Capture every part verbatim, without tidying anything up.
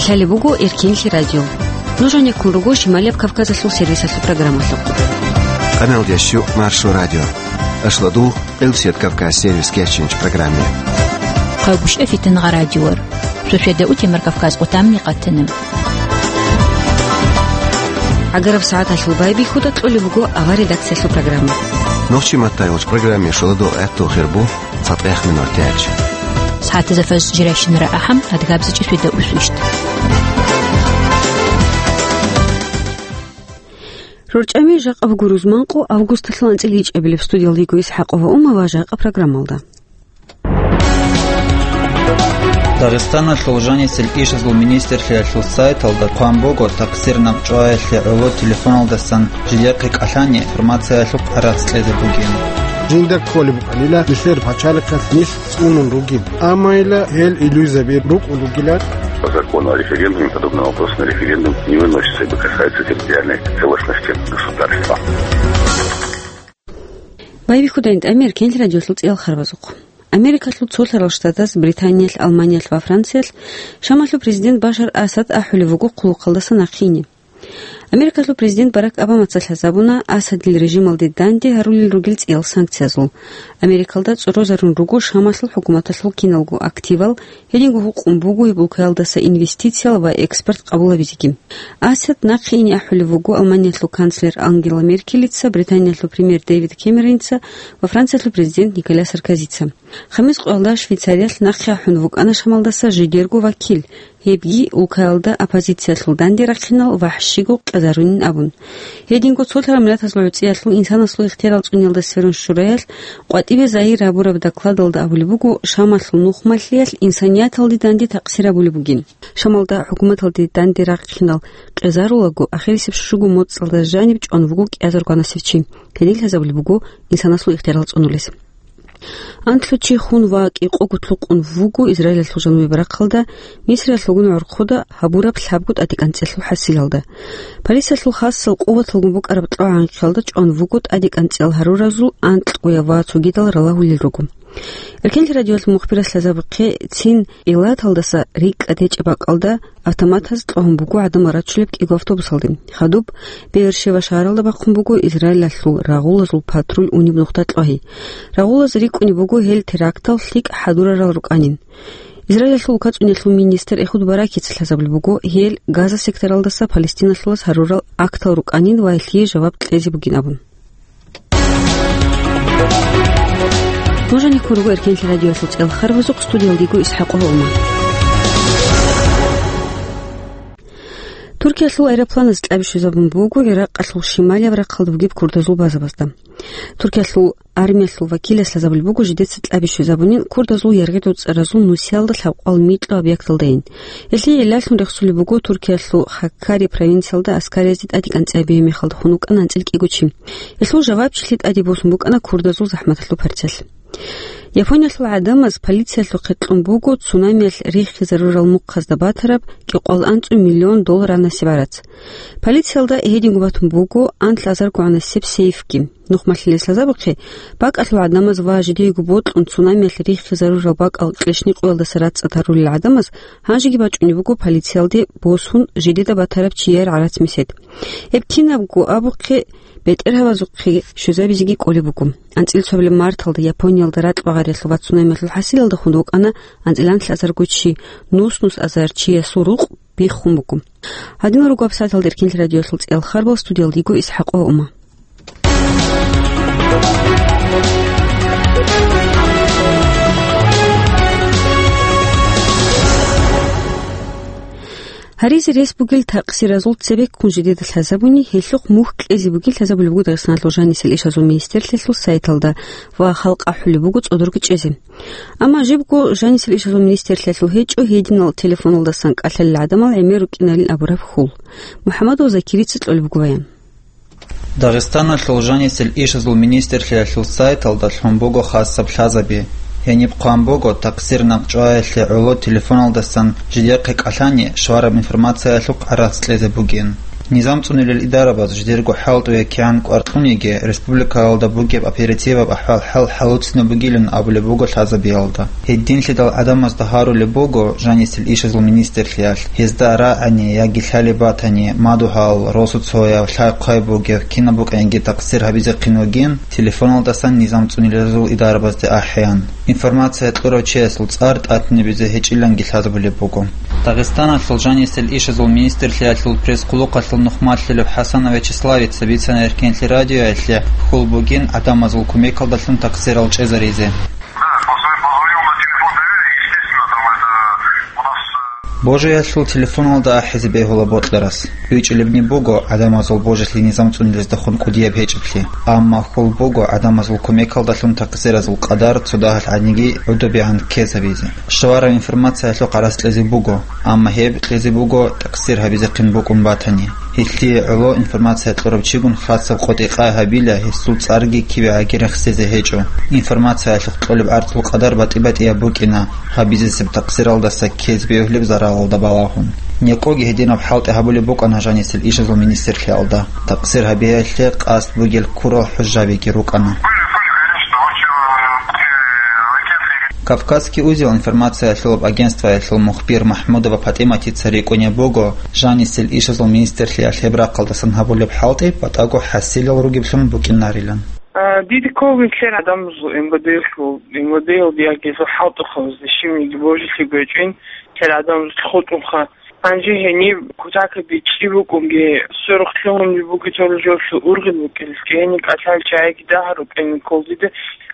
Лъалеб буго Эркенлъи радио. Нуж гьанеккун руго Шималияб Кавказалъул сервисалъул программалъухъ. Къаналдияс щу Маршо радио. Ашладул Элсият Кавказ сервис кечинч программе. Хъагушев Фитнагъа радиор. Суседа утемар Кавказ къутамни къатана. Агараб сагӀаталъул байбихьуда кьолеб буго авар редакциялъул программа. Нохчи маттайгъуч программе шоладо гӀаттул хирбу. Цатаяхъ минор тяч. СагӀатазда фаз жирайщинара ахӀам, адгабзичӀи светда усвищт. РорчӀами жакъа буго рузманкъо августалъул анцӀил ичӀабилеб. Студиялда йиго ИсхӀакъова Ума ва жакъа программалда. Дагъистаналъул жанисел ишазул министрлъиялъул сайталда хъван буго, такъсир накъчӀваялъе гӀоло телефоналдасан жидехъе кӀалъани информациялъухъ гӀарац кьезе бугин. Жинда кколеб букӀанила нилъер пачалихъалъ нилъ цӀунун ругин, амма ила гьел илугьизаби рукӀун ругила. По закону о референдуме подобный вопрос на референдум не выносится, ибо касается территориальной целостности государства. Байбихьудайин тӀамир Кенлъи радиолъул цӀиял харбазухъ. Америкалъул цолъарал штатаз, Британиялъ, Алманиялъ ва Франциялъ Шамалъул президент Башар Асад ахӀулев вуго хъулухъалдаса нахъине. Америкалъул президент Барак Обамаца лъазабуна Асадил режималде данде гьарулел ругел цӀиял санкциязул. Америкалда цӀорозарун руго Шамалъул хӀукуматалъул киналго активал, гьединго гьукъун буго гьеб улкаялдаса инвестициял ва экспорт къабулабизеги. Асад нахъе ине ахӀулев вуго Алманиялъул канцлер Ангела Меркелица, Британиялъул премьер Дэвид Кэмероница ва Франциялъул президент Николя Саркозица. Хамис къоялда Швейцариялъ нахъе ахӀун вукӀана Шамалдаса жидерго вакил, гьебги улкаялда оппозициялъул данде рахъинал вахӀщиго кьезарунин абун. Гьединго цолъарал миллатазул гӀуцӀиялъул инсанасул ихтиярал цӀуниялда сверун шураялъ къватӀибе загьир гьабураб докладалда абулеб буго, Шамалъул нухмалъиялъ инсанияталде данде такъсир гьабулеб бугин. Шамалда хӀукуматалде данде рахъинал кьезарулаго, ахирисеб щуго моцӀалда жаниб чӀван вуго кӀиазарго гьанасев чи. Гьедин лъазабулеб буго инсанасул ихтиярал цӀунулес. Анлъго чи хун ва кӀикъого лъукъун вуго Израилалъул жанубияб рахъалда, Мисриялъулгун гӀорхъуда гьабураб лъабго тӀадекӀанцӀелъул хӀасилалда. Полициялъул хасал къуваталгун букӀараб кьогӀанкиялда чӀван вуго тӀадекӀанцӀел гьаруразул анкьгояб ва цогидал ралагьулел руго. Эркенлъи радиоялъул мухбирас лъазабухъе, цин Илаталдаса рикӀкӀад гьечӀеб бакӀалда автоматаз кьогьун буго гӀадамал рачулеб кӀиго автобусалде. Хадуб Беершева шагьаралда бахъун буго Израилалъул рагъулазул патруль унеб нухда кьогьи. Рагъулаз рикӀкӀунеб буго гьел терактал лъикӀ хӀадурарал рукӀанин. Израилалъул улкацӀунелъул министр Эхуд Баракица лъазабулеб буго гьел Газа секторалдаса Палестиналъулаз гьарурал актал рукӀанин ва гьелъие жаваб кьезе бугин абун. Нуж гьанеккун руго Эркенлъи радиоялъул цӀел харбазухъ, студиялда йиго ИсхӀакъова Ума. Туркиялъул аэропланаз кьаби щвезабун буго Иракъалъул шималияб рахъалда бугеб курдазул базабазда. Туркиялъул армиялъул вакилас лъазабулеб буго жидеца кьаби щвезабунин курдазул яргъи-доцӀаразул нусиялда лъабкъоялда микьго объекталдайин. Гьелъие гӀиллалъун рехсулеб буго Туркиялъул Хаккари провинциялда аскариязде тӀадекӀанцӀи гьабизе мехалда хун вукӀана анцӀил кӀиго чи. Гьелъул жавабчилъи тӀаде босун букӀана курдазул захӀматалъул процесс. Япониялъул гӀадамаз полициялъухъе кьун буго цунамиялъ риххизарурал мухъазда батараб кӀикъоялда анцӀго миллион доллар гьанасеб гӀарац. Полициялда гьединго батун буго анлъазарго гьанасеб сейфги. Нухмалъилес лъазабухъе, бакӀалъул гӀадамаз ва жидеего бокьун цунамиялъ риххизарурал бакӀал кьишникъоялдаса рацӀцӀад гьарулел гӀадамаз гьанжеги бачӀунеб буго полициялде босун жидеда батараб чияр гӀарац-месед. Гьеб кинабго абухъе, бетӀергьабазухъе щвезабизеги кӀолеб буго. АнцӀил цоабилеб марталда Япониялда ракь багъариялъул ва цунамиялъул хӀасилалда хун вукӀана анцӀила анлъазарго чи, нус-нус азар чиясул рукъ биххун буго. Гьадинал руго абсаталда Эркенлъи радиоялъул цӀиял харбал, студиялда йиго ИсхӀакъова Ума. Гьаризе рес бугел такъсиразул цебеккун жидеда лъазабуни, гьелъухъ мухь кьезе бугин лъазабулеб буго Дагъистаналъул жанисел ишазул министрлъиялъул сайталда ва халкъ ахӀулеб буго цӀодорги чӀезе. Амма жибго жанисел ишазул министрлъиялъул гьечӀо гьединал телефоналдасан кӀалъалел гӀадамал гӀемер рукӀиналин абураб хьул. МухӀамадов Закирица кьолеб буго баян. Дагъистаналъул жанисел ишазул министрлъиялъул сайталда лъун буго хасаб лъазаби. Гьениб хъван буго, такъсир накъчӀваялъе гӀоло телефоналдасан жидехъе кӀалъани, щвараб информациялъухъ гӀарац кьезе бугин. Низам цӀунулел идарабаз жидерго хӀалтӀуе кигӀан кӀвар кьуниги, республикаялда бугеб оперативаб ахӀвал-хӀал хӀалуцинаб бугилан абулеб буго лъазабиялда. Гьединлъидал гӀадамазда гьарулеб буго жанисел ишазул министрлъиялъ, гьезда рагӀани яги лъалеб батани, мадугьал, росуцояб, лъай-хъвай бугеб, кинаб букӀаниги такъсир гьабизехъин вугин, телефоналдасан низам цӀунилезул идарабазде ахӀеян. Информация кьурав чиясул цӀар тӀатинабизе гьечӀиланги лъазабулеб буго. Дагъистаналъул жанисел ишазул министрлъиялъул пресс-хъулухъалъул нухмалъулеб ХӀасанов Вячеславица бицана Эркенлъи радиоялъе хьул бугин гӀадамазул кумекалдалъун такъсирал чӀезаризе. Да, позвонил на телефон доверия, естественно, там это у нас, э, Божиялъул телефоналда ахӀизе бегьула бокьарас. БичӀчӀулебни буго гӀадамазул божилъи низам цӀунилездехун кӀудияб гьечӀеблъи, амма хьул буго гӀадамазул кумекалдалъун такъсиразул къадар цо дагьалъ гӀадиги гӀодобегӀан ккезабизе. Щвараб информациялъухъ гӀарац кьезе буго, амма гьеб кьезе буго такъсир гьабизехъин букӀун батани. Гьелъие гӀоло информация кьурав чигун хасаб къотӀи-къай гьабила, гьесул цӀарги кибе гӀаги рехсезе гьечӀо. Информациялъухъ кьолеб гӀарцул къадар батӀи-батӀияб букӀина, гьабизесеб такъсиралдаса ккезе бегьулеб заралалда балагьун. НекӀоги гьединаб хӀалтӀи гьабулеб букӀана жанисел ишазул министрлъиялда. Такъсир гьабиялъе къасд бугел ккурал хӀужжабиги рукӀана. Кавказский узел информациялъулаб агентствоялъул мухбир МахӀмудова ПатӀиматица рикӀкӀунеб буго жанисел ишазул министрлъиялъ гьеб рахъалдасан гьабулеб хӀалтӀи батӀаго хӀасилал ругеблъун букӀинарилан. А, диде ккола нилъер гӀадамазул МВД-лъул, МВД-лъул диагезул хӀалтӀухъабазде щибниги божилъи гьечӀин, нилъер гӀадамазул хутӀунха. Гьанже гьениб кутакаде чӀи букӀунги, сверухълъун бугеб жолъул ургъел букӀиналъги, гьениб кӀалъал чагӀиги дагьа рукӀин кколдиде,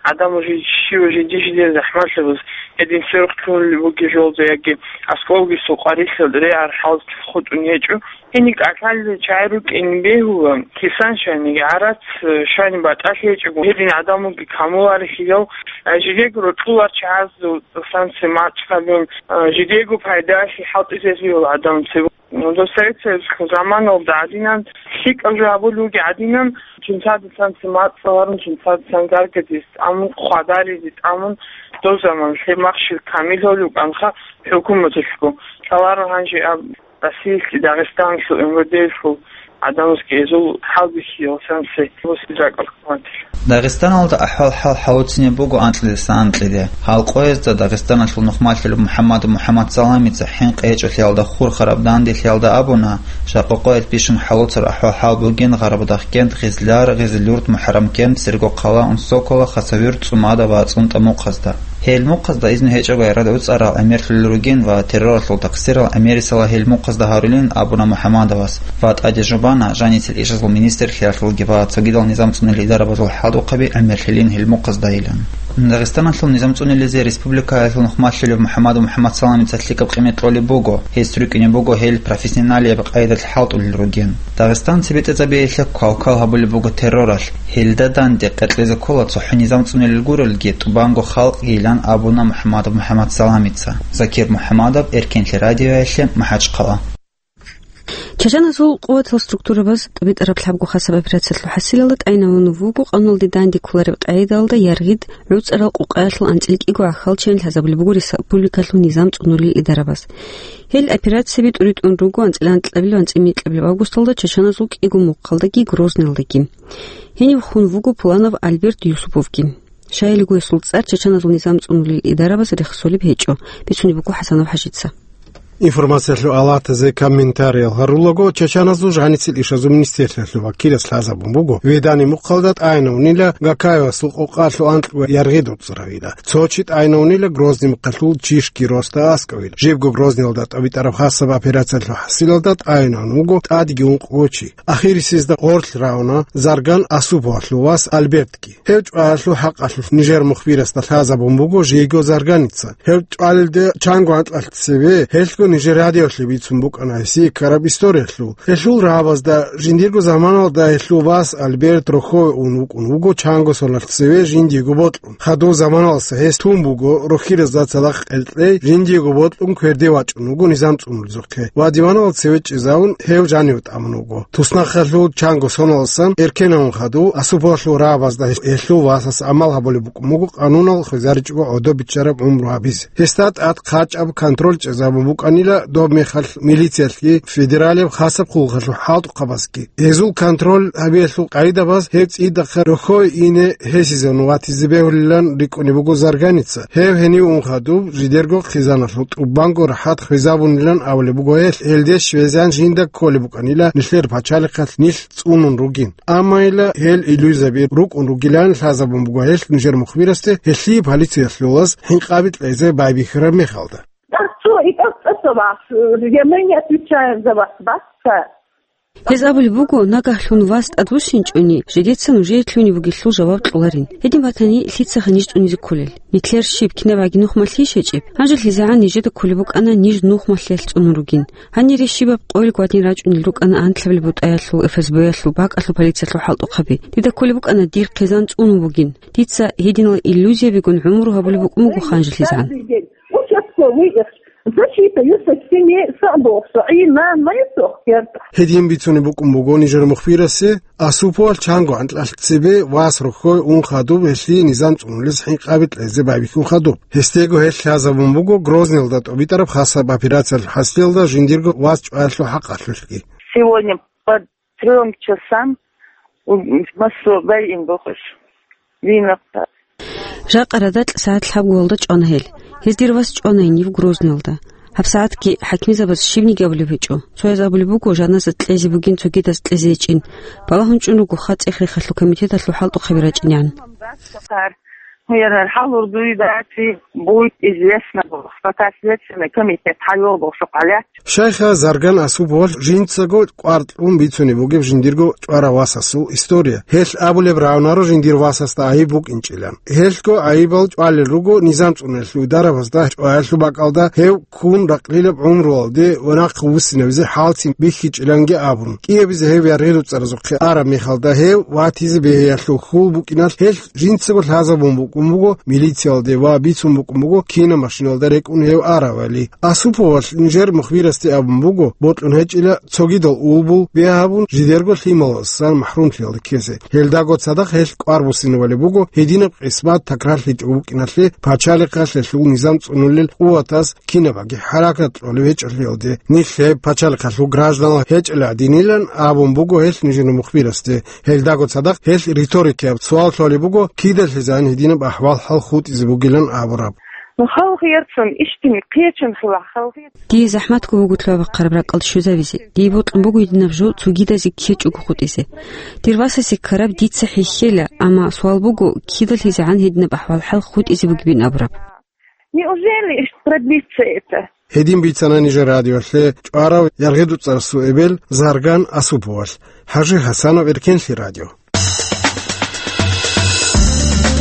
гӀадамал жи-, щив жинди-жиндир захӀмалъабаз, гьедин сверухълъун бугеб жолда яги аскӀовги сукъарилъал регӀар хӀалтӀухъ хутӀун гьечӀо. Гьениб кӀалъал чагӀи рукӀин бегьула, кисан щваниги, гӀарац, э, щвани батӀалъи гьечӀого, гьедин гӀадамалги камуларелъул, э, жидего рокьулар чагӀазул цӀасан цемацӀ гьабун, э, жидего пайдалъи хӀалтӀизелъул гӀадамал цебе. Ну, дов Совет Союзалъул заманалда гӀадинан, лъикӀаб жо гьабулев вугев гӀадинан, жинцадасан цемацӀ гьарун, жинцадасан гаргадизе тӀамун, хъвадаризе тӀамун, дов заман лъеб махщел камил гьолев вукӀанха хӀукуматалъго. Лъаларо гьанже аб Россиялъе, Дагъистаналъул МВД-лъул гӀадамазги гьезул хӀалбихьиялдасан цебе босизе ракӀалде кколаро. Дагъистаналда ахӀвал-хӀал хӀалуцинеб буго анкьидаса анкьиде. Гьал къоязда Дагъистаналъул нухмалъулеб МухӀаммадов МухӀаммадсаламица хӀинкъи гьечӀолъиялда хурхараб данделъиялда абуна, жакъа къоялъ бищун хӀалуцараб ахӀвал-хӀал бугин Гъарабудахъкент, Гъизлар, Гъизлюрт, МухӀаррамкент, Сергокъала, Унсокола, Хасавюрт, ЦӀумада ва ЦӀунтӀа мухъазда. Гьел мухъазда изну гьечӀого гӀарад гӀуцӀарал гӀемерлъулел ругин ва терроралъул такъсирал гӀемерисела гьел мухъазда гьарулин абуна МухӀаммадовас ва тӀаде жубана жанисел ишазул министрлъиялъулги ва цогидал низам цӀунел идарабазул хӀалтӀухъаби гӀемерлъилин гьел мухъаздайилан. Дагъистаналъул низам цӀунилизе республикаялъул нухмалъулев МухӀаммадов МухӀаммадсаламица лъикӀаб къимет кьолеб буго, гьес рукӀине буго гьел профессионалияб къайдалъ хӀалтӀулел ругин. Дагъистан цебетӀезабиялъе квал-квал гьабулеб буго терроралъ, гьелда данде къекълъизе ккола цохӀо низам цӀунилел гурелги тӀубанго халкъгийилан абуна МухӀаммадов МухӀаммадсаламица. Закир МухӀаммадов, Эркенлъи радиоялъе, МахӀачхъала. Чачаназул къуватал структурабаз тӀубитӀараб лъабго хасаб операциялъул хӀасилалда тӀайинавун вуго къануналде данде кколареб къагӀидалда яргъид гӀуцӀарал къукъаялъул анцӀил кӀиго гӀахьалчиян лъазабулеб буго республикалъул низам цӀунулел идарабаз. Гьел операцияби тӀуритӀун руго анцӀила анкьабилеб, анцӀила микьабилеб августалда чачаназул кӀиго мухъалдаги Грозныйалдаги. Гьенив хун вуго Пуланов Альберт Юсуповги. Щайилго гьесул цӀар чачаназул низам цӀунулел идарабаз рехсолеб гьечӀо, бицунеб буго ХӀасанов ХӀажица. Информациялъул алатазе комментариял гьарулаго, чачаназул жаницел ишазул министрлъиялъул вакилас лъазабун буго, Ведани мухъалда тӀайинавунила Гакаевасул къукъалъул анкьго яргъид гӀуцӀаравила. Цо чи тӀайинавунила Грозный мухъалъул Чишки Роста аскӀовила. Жибго Грозныйалда тӀубитӀараб хасаб операциялъул хӀасилалда тӀайинавун вуго тӀадеги ункъго чи. Ахирисезда гъорлъ равна Зарган Асуповалъул вас Альбертги. Гьев чӀваялъул хӀакъалъулъ нижер мухбирасда лъазабун буго жийго Зарганица. Гьев чӀвалелде чанго анкьалъ цеве, гьелъго нижер радиолъе бицун букӀана гьесие ккараб историялъул. Гьелъул рагӀабазда жиндирго заманалда гьелъул вас Альберт рохьове ун вукӀун вуго чанго соналъ цеве жиндиего бокьун. Хадув заманалса гьес тун буго рохьиразда цадахъ кьеркьей, жиндиего бокьун кверде вачӀун вуго низам цӀунулезухъе ва диванал цеве чӀезавун, гьев жаниве тӀамун вуго. Туснахъалъул чанго соналасан эркенавун хадув Асуповалъул рагӀабазда гьелъул васас гӀамал гьабулеб букӀун буго къанунал хвезаричӀого гӀодоб биччараб гӀумру гьабизе. Гьесда тӀад хъачӀаб контроль чӀезабун букӀана Нила доб мехалъ милициялъги федералияб хасаб хъулухъалъул хӀалтӀухъабазги. Гьезул контроль гьабиялъул къагӀидабаз гьеб цӀидахъа рохьое ине гьесизавун ватизе бегьулилан рикӀкӀунеб буго Зарганица. Гьев гьенив ун хадуб, жидерго хъизаналъул тӀубанго рахӀат хвезабунилан абулеб буго гьелъ, гьелде щвезегӀан жинда кколеб букӀанила нилъер пачалихъалъ нилъ цӀунун ругин. Амма ила гьел иллюзияби рукӀун ругилан лъазабун буго гьелъ нижер мухбирасде, гьелъие полициялъулаз хӀинкъаби кьезе байбихьараб мехалда. Цо итӀа-цо вас, я, мы не отвечаем за вас, баста. Гьез абулеб буго, нагагьлъун вас тӀадвуссинчӀони, жидеца нужее лъугьунеб бугелъул жаваб кьоларин. Гьедин батани, лъицаха ниж цӀунизе кколел? Нилъер щиб, кинаб гӀаги нухмалъи щечӀеб? ГьанжелъизегӀан нижеда кколеб букӀана ниж нухмалъиялъ цӀунун ругин. Гьанире щибаб къойил гвадин рачӀунел рукӀана анкьабилеб бутӀаялъул, ФСБ-ялъул, бакӀалъул полициялъул хӀалтӀухъаби. Дида кколеб букӀана дир хъизан цӀунун бугин. Дица гьединал иллюзиябигун гӀумру гьабулеб букӀун буго ханжелъизегӀан. Участковый их защита юсаксине сабухса и на моя сохкерта. Гьедин бицунеб букӀун буго нижер мухбирасе, Осуповал чанго анкьалъ цебе вас рохьое ун хадуб гьелъие низам цӀунулес хӀинкъаби кьезе байбихьун хадуб. Гьесдего гьелъ лъазабун буго Грозныйалда тӀобитӀараб хасаб операциялъул хӀасилалда жиндирго вас чӀваялъул хӀакъалъулъги. Сегодня по трём часам массо байин бохуш. Винахъа. Жакъа радакь сагӀат лъабгоялда чӀвана гьел. Гьез дир вас чӀванайин ив Грозныйалда. ГьабсагӀатги хӀакимзабаз щибниги абулеб гьечӀо. Цояз абулеб буго, жаназа кьезе бугин цогидаз кьезе гьечӀин. Балагьун чӀун руго ха цӀех-рехалъул комитеталъул хӀалтӀухъаби рачӀинегӀан. Гьуярал хӀалур дуй даци будет известно, пока следственный комитет хӀайолбохъ шукъалъ. Шайха Зарган Осуповал жинцаго кӀвар кьун бицунеб бугеб жиндирго чӀварав васасул история. Гьелъ абулеб равнаро жиндир васасда гӀайиб букӀинчӀилан. Гьелъго гӀайибал чӀвалел руго низам цӀунулъул дарабазда чӀваялъул бакӀалда гьев ккун ракълилаб гӀумруялде ва нахъе вуссинабизе хӀалцин бихьичӀиланги абун. КӀиабизе гьев яргъи-дуцӀаразухъе араб мехалда гьев ватизе бегьиялъул хьул букӀиналъ гьелъ жинцаго лъазабун букӀун буго милициялде ва бицун букӀун буго кинаб машиналда рекӀун гьев аравали. Осуповал нижер мухбирасде абун буго, бокьун гьечӀила цогидал улбул бегьабун жидерго лъималасан махӀрумлъиялда ккезе. Гьелдаго цадахъ гьелъ кӀвар буссинабали буго, гьединаб къисмат такрарлъичӀого букӀиналъе пачалихъалъ гьелъул низам цӀунулел къуватаз кинабаги хӀаракат кьолеб гьечӀолъиялде. Нилъ гьеб пачалихъалъул гражданал гьечӀила гӀадинилан абун буго гьелъ нижер мухбирасде. Гьелдаго цадахъ гьелъ риторикияб суал лъолеб буго, кидалъизан гьединаб ахӀвал-хӀал хутӀизе бугилан абураб. Ну, халкъ ярцун, ишдин, кечун хила, халкъ. Дие захӀматго буго лъугьа-бахъараб ракӀалде щвезавизе. Дие бокьун буго гьединаб жо цогидазе ккечӀого хутӀизе. Дир васасе ккараб дица хӀехьела, амма суал буго, кидалъизегӀан гьединаб ахӀвал-хӀал хутӀизе бугебин абураб. Неужели продлится это? Гьедин бицана нижер радиолъе чӀварав яргъи-дуцӀарасул эбел Зарган Осуповал. ХӀажи Хасанов, Эркенлъи радио.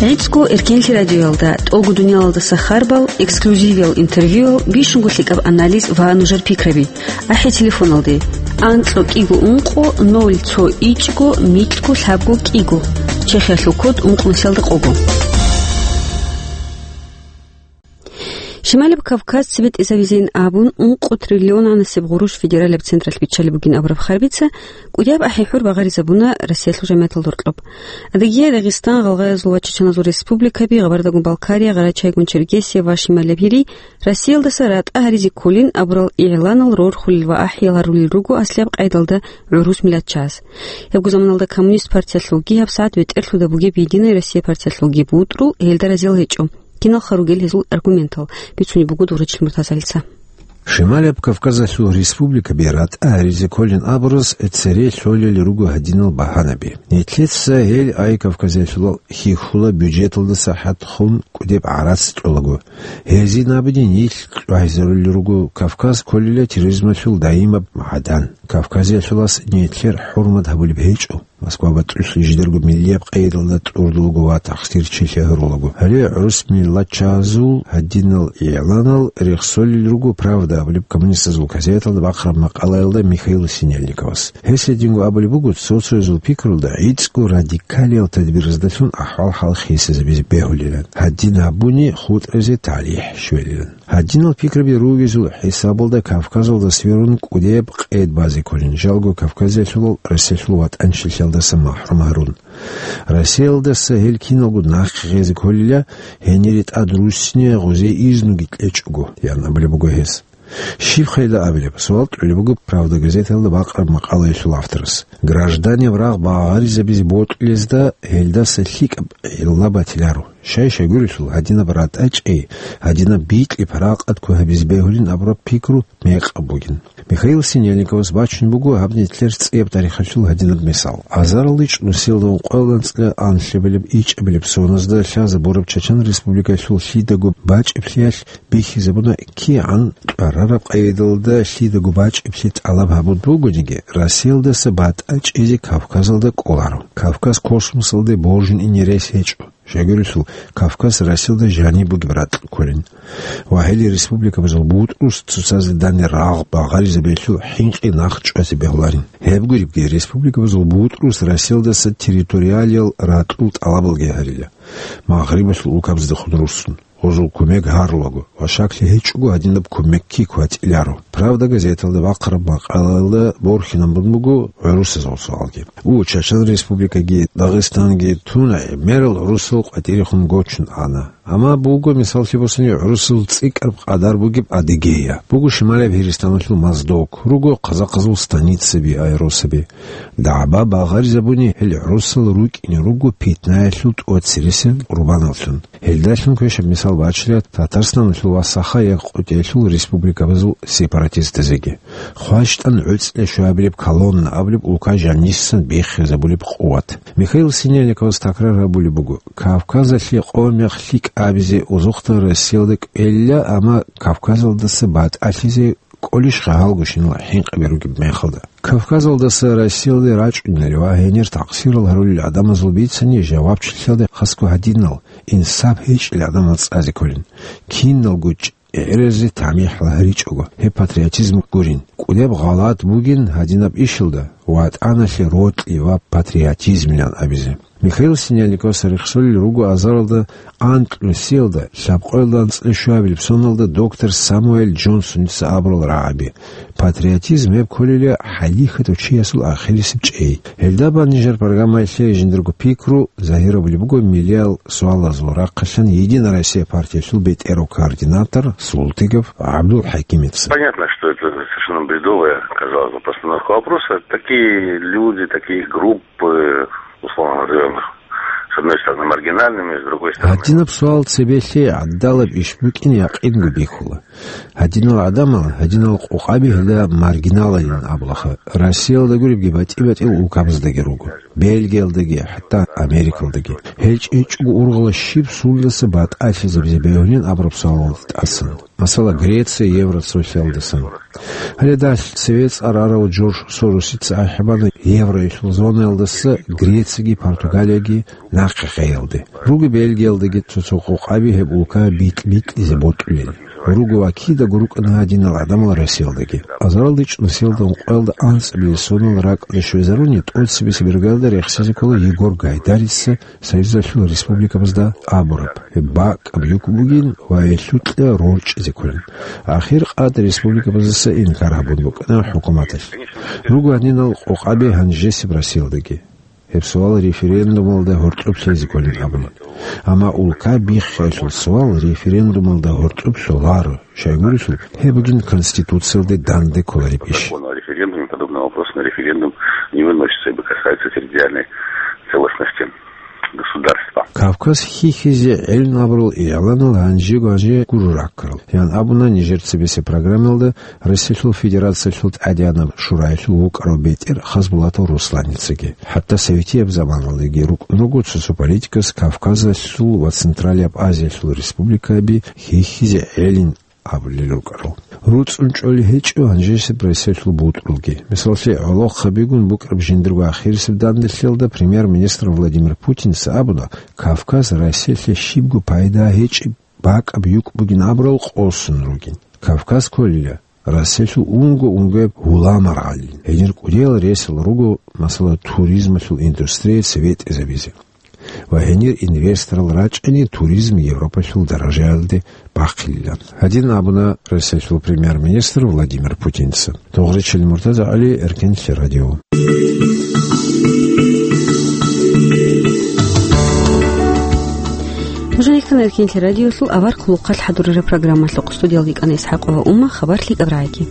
ГӀицӀго Эркенлъи радиоялда тӀолго дуниялалдаса харбал, эксклюзивиял интервьюял, бищунго лъикӀаб анализ ва нужер пикраби. АхӀи телефоналде: анкьго кӀиго ункъо ноль цо ичӀго микьго лъабго кӀиго. Чехиялъул код ункънусиялда къого. Шималаб Кавказ цебетӀезавизейин абун, ункъо триллионанасеб гъурущ федералияб централъ биччалеб бугин абураб харбица кӀудияб ахӀи-хӀур багъаризабуна Россиялъул жамигӀаталда гьоркьоб. Адыгея, Дагъистан, Гъалгъай Азул ва Чечен Азул республикаби, Гъабардагун Балкария, Гъарачайгун Чергесия ва Шималаб Гьири Россиялдаса ратӀа гьаризе кколин абурал игӀланал рорхулел ва ахӀиял гьарулел руго аслияб къайдалда гӀурус миллатчияс. Гьебго заманалда Коммунист партиялъулги, гьабсагӀат бетӀерлъуда бугеб Единая Россия партиялъулги бутӀрул, гьелда разиял гьечӀо. Киналха ругел гьезул аргументал, бицунеб буго Дурачил Муртазалица. Шималаб Кавказалъул республикаби ратӀа гьаризе кколин абураз цере лъолел руго гьадинал багьанаби. Нилъеца гьел Ай Кавказалъулал хьихьула бюджеталдаса хӀатхун кӀудеб гӀарац кьолаго. Гьезин абуни нилъ чӀвайзарулел руго Кавказ кколила терроризмалъул даимаб магӀадан. Кавказалъулас нилъер хӀурмат гьабулеб гьечӀо. Москва батӀулъи жидерго миллияб къайдалда тӀурдулаго ва тахсирчилъи гьарулаго. Гьале гӀурус миллатчазул гьадинал игӀланал рехсолел руго «Правда» абулеб коммунистазул газеталда бахъараб макъалаялда Михаил Синельниковас. Гьес гьединго абулеб буго, цо-цоязул пикрулда гӀицӀго радикалиял тадбираздалъун ахӀвал-хӀал хисизабизе бегьулилан. Гьадин гьабуни хутӀазе талихӀ щвелилан. Гьадинал пикраби ругезул хӀисабалда Кавказалда сверун кӀудеб къед базе кколин, жалго Кавказиялъулал Россиялъул ватӀанчилъиялдаса махӀрум гьарун. Россиялдаса гьел киналго нахъе гъезе кколила, гьенире тӀад руссине гъузе изнуги кьечӀого, ян абулеб буго гьес. Щиб хъайда абилеб? Суал тӀолеб буго «Правда» газеталда бакъараб макъалаялъул авторас. Гражданиял рагъ багъаризабизе бокьулезда гьелдаса лъикӀаб гӀилла батиларо. Щай-щай гурелъул, гьадинаб ратӀа чӀей, гьадинаб бикьи паракъат ккун гьабизе бегьулин абураб пикру мекъаб бугин. Михаил Синельниковас бачун буго гьаб нилъер цӀияб тарихалъул гьадинаб мисал. Азаралде чӀун нусиялда ункъоялда анцӀила анлъабилеб ичӀабилеб соназда лъазабураб Чачан Республикаялъул лъидаго бачӀиблъиялъ бихьизабуна кигӀан кьварараб къайдалда лъидаго бачӀиблъи тӀалаб гьабун бугониги, Россиялдаса батӀа чӀезе Кавказалда кӀоларо. Кавказ космосалде божун ине рес гьечӀо. Щай гурелъул, Кавказ Россиялда жаниб бугеб ракь кколин. Ва гьеле республикабазул бутӀрус цоцазда данде рагъ багъаризабиялъул хӀинкъи нахъ чӀвазе бегьуларин. Гьеб гуребги, республикабазул бутӀрус Россиялдаса территориалиял ракьул тӀалабалги гьарила. Магърибалъул улкабаздехун руссун, гъозул кумек гьарулаго ва щаклъи гьечӀого гьадинаб кумекги кватӀиларо. «Правда» газеталда бахъараб макъалаялда борхинабун буго гӀурусазул суалги. У, Чачан Республикаги Дагъистанги тун, гӀемерал гӀурусал къватӀирехун гочун ана. Амма буго, мисаллъи босани, гӀурусазул цӀикӀкӀараб къадар бугеб Адыгея, буго Шималияб Гьиристаналъул Моздок, руго казахазул станицаби, аэросаби. ДагӀба багъаризабуни гьел гӀурусал рукӀине руго питнаялъул тӀоцересел къурбаналлъун. Гьелдалъун квешаб мисал бачила Татарстаналъул ва Саха-Якъутиялъул республикабазул сепаратистазеги. ХващтӀан гӀуцӀлъи щвабилеб колонна абулеб улка жанисан биххизабулеб къуват. Михаил Синельниковас такрар гьабулеб буго, Кавказалъе къо-мех лъикӀ абизе озухъа Россиялда кӀвелла, амма Кавказалдаса батӀалъизе кӀолищха гьалгощинал хӀинкъаби ругеб мехалда? Кавказалдаса Россиялде рачӀунел ва гьенир такъсирал гьарулел гӀадамазул бицани жавабчилъиялда хасго гьадинал, инсаб гьечӀел гӀадамал цӀазе кколин. Киналго чӀегӀеразе тамихӀ гьаричӀого, гьеб патриотизм гурин. КӀудеб гъалатӀ бугин гьадинаб ишалда ВатӀаналъе рокьи ва патриотизмилан абизе. Михаил Синельниковас рехсолел руго азаралда анкьнусиялда, лъабкъоялда анцӀила щуабилеб соналда доктор Самуэль Джонсоница абурал рагӀаби. Патриотизм гьеб кколила хӀалихьатав чиясул ахирисеб чӀей. Гьелда бан нижер программаялъе жиндирго пикру загьирабулеб буго миллиял суалазул рахъалъан «Единая Россия» партиялъул бетӀерав координатор Султыгов ГӀабдулхӀакимица. Понятно, что это совершенно бредовая, казалось бы, постановка вопроса. Такие люди, такие группы, условно назовём их, с одной стороны, маргинальными, с другой стороны... Гьадинаб суал цебелъи гӀадалаб иш букӀин якъинго бихьула. Гьадинал гӀадамал, гьадинал къокъаби гьелда маргиналалин абулаха, Россиялда гуребги батӀи-батӀиял улкабаздаги руго, Бельгиялдаги, хӀатта Америкалдаги. Гьел чӀечӀого ургъала щиб сундаса батӀалъизабизе бегьулин абураб суалалда тӀасан. Масала, Греция евроцоциялдасан. Гьале далъ цеве цӀар арав Джордж Соросица ахӀи бана евроялъул зонаялдаса Грецияги Португалияги нахъе гъеялде. Руго Бельгиялдаги цо-цо къокъаби гьеб улка битӀ-битӀизе бокьулел. Руго ва кидаго рукӀана гьадинал гӀадамал Россиялдаги. Азаралде чӀун нусиялда ункъоялда анцӀабилеб сонал ракӀалде щвезаруни, тӀоцебесеб иргаялда рехсезе ккола Егор Гайдарица Союзалъул республикабазда абураб, гьеб бакӀаб юкъ бугин ва гьелъукьа рорчӀизе кколин. Ахир къад республикабаздаса инкар гьабун букӀана хӀукуматалъ. Руго гьадинал къокъаби гьанжесеб Россиялдаги. Гьеб суал референдумалда гьоркьоб лъезе кколин абуна. Амма улка биххиялъул суал референдумалда гьоркьоб лъоларо, щайгурелъул, гьеб бугин Конституциялде данде кколареб иш. Закон о референдуме подобный вопрос на референдум не выносится, ибо касается территориальной целостности государства. Кавказ хьихьизе гӀелин абурал игӀланал гьанжего-гьанже гуро раккарал, ян абуна нижер цебесеб программаялда Россиялъул Федерациялъул ТӀадегӀанаб Шураялъул вукӀарав бетӀер Хасбулатов Русланицаги. ХӀатта советияб заманалдаги рукӀун руго цо-цо политикас Кавказалъул ва Централияб Азиялъул республикаби хьихьизе гӀелин абулел рукӀарал. РуцӀцӀун чӀолей гьечӀо гьанжесеб Россиялъул бутӀрулги. Мисаллъи, гӀолохъабигун букӀараб жиндирго ахирисеб данделъиялда премьер-министр Владимир Путинца абуна, Кавказ Россиялъе щибго пайда гьечӀеб бакӀаб юкъ бугин абурал къосун ругин. Кавказ кколила Россиялъул унго-унгояб гьуламаргъалин. Гьенир кӀудиял ресал руго, масала, туризмалъул индустрияца ветӀизабизе. Ва гьенир инвесторал рачӀани туризм Европалъул даражаялде бахъилилан. Гьадин абуна Россиялъул премьер-министр Владимир Путинца. Тогъричил Муртаза ГӀали, Эркенлъи радио. Журналист Эркинлъи радиолъул авар хъулухъалъ хӀадурараб программалъухъ студиялда йикӀана ИсхӀакъова Умма, хабар лъикӀаб рагӀиги.